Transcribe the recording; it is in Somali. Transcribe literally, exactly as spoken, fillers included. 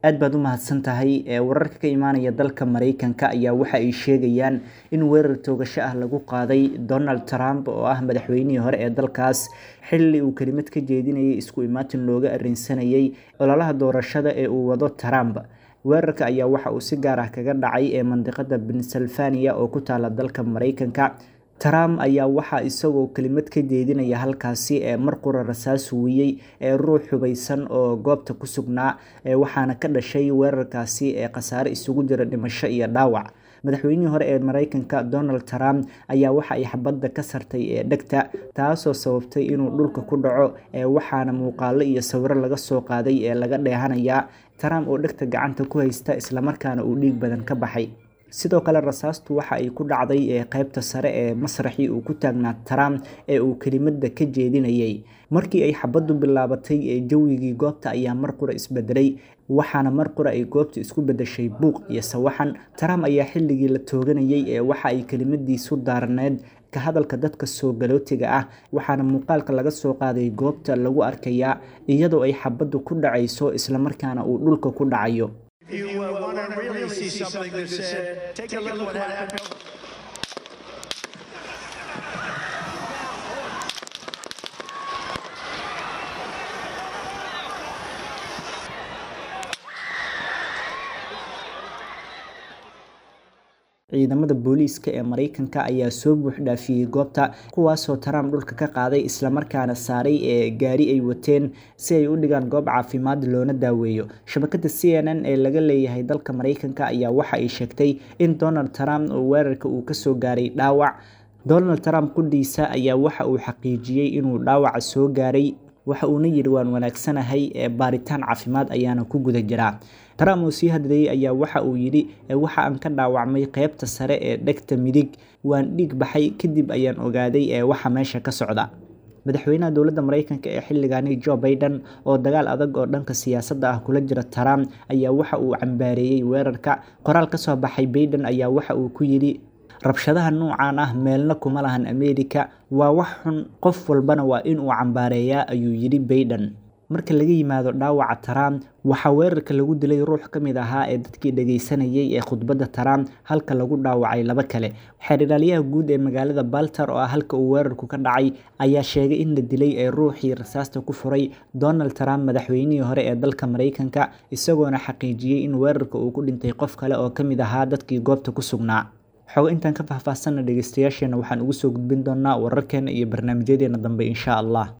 Aad baad u mahadsan tahay. Wararka ka imaanaya dalka Mareykanka ayaa waxa ay sheegayaan in weerar toogasho ah lagu qaaday Donald Trump oo ah madaxweynihii hore ee dalkaas, xilli uu kelimad ka jeedinayay isku imaatin looga arrinsanayay ololaha doorashada ee uu wado Trump. Weerarka ayaa waxa uu si gaar ah kaga dhacay ee mandiqada Pennsylvania oo ku taala dalka Mareykanka. Trump ayaa waxaa isagoo kelimad ka jeedinaya halkaasi ee mar qura rasaas huwiyey ee ruux hubaysan oo goobta ku sugnaa, waxaana ka dhashay weerarkaasi ee khasaare isugu jira dhimasho iyo dhaawac. Madaxweynihii hore ee Mareykanka Donald Trump ayaa waxa ay xabadda ka sartay ee dhegta, taasoo sababtay inuu dhulka ku dhaco, waxaana muuqaallo iyo sawirro laga soo qaaday ee laga dheehanayaa Trump oo dhegta gacanta ku haysta islamarkaana uu dhiig badan ka baxay. Sidoo kale rasaastu waxa ay ku dhacday ee qaybta sare ee masraxii uu ku taagnaa Trump ee uu kelimadda ka jeedinayay. Markii ay xabaddu bilaabatay ee jawigii goobta ayaa mar qura isbedelay, waxaana mar qura ay goobta isku beddeshay buuq iyo sawaxan. Trump ayaa xilligii la tooganayay ee waxa ay kelimadiisu daarneed ka hadalka dadka soo galootiga ah, waxaana muuqaalka laga soo qaaday goobta lagu arkayaa iyadoo ay xabaddu ku dhacayso islamarkaana uu dhulka ku dhacayo. If you uh, want to really see something that's sad, take a look at what happened. Ciidamada booliiska ee Mareykanka ayaa soo buux dhaafiyey goobta, kuwaasoo Trump dhulka ka qaaday islamarkaana saaray ee gaari ay wateen si ay u dhigaan goob caafimaad loona daaweeyo. Shabakadda C N N ee laga leeyahay dalka Mareykanka ayaa waxa ay sheegtay in Donald Trump oo weerarka uu kasoo gaaray dhaawac. Donald Trump qudhiisa ayaa waxa uu xaqiijiyey inuu dhaawaca soo gaaray, waxa uuna yidhi waan wanaagsanahay, ee baaritaan caafimaad ayaana ku guda jiraa. Trump oo sii hadlayay ayaa waxa uu yidhi waxa aan ka dhaawacmay qaybta sare ee dhegta midig, waan dhiig baxay, kadib ayaan ogaaday ee waxa meesha ka socda. Madaxweynaha dowladda Mareykanka ee xilligaani Joe Biden oo dagaal adag oo dhanka siyaasadda ah kula jira Trump ayaa waxa uu cambaareeyay weerarka. Qoraal ka soo baxay Biden ayaa waxa uu ku yidhi rabshadaha noocan ah meelna kuma lahan Ameerika, waa wax xun, qof walbana waa in uu cambaareeyaa, ayuu yidhi Biden. Marka laga yimaado dhaawaca Trump, waxaa weerarka lagu dilay ruux ka mid ahaa ee dadkii dhageysanayay ee khudbadda Trump, halka lagu dhaawacay laba kale. Xeer ilaaliyaha guud ee magaalada Baltimore oo ah halka uu weerarku ka dhacay ayaa sheegay in la dilay ee ruuxii rasaasta ku furay Donald Trump, madaxweynihii hore ee dalka Mareykanka, isagoona xaqiijiyey in weerarka uu ku dhintay qof kale oo ka mid ahaa dadkii goobta ku sugnaa. Xogo intaan ka faahfaahsanna dhegeystayaasheena waxaan ugu soo gudbin doonaa wararkeena iyo barnaamijyadeena dambe insha Allah.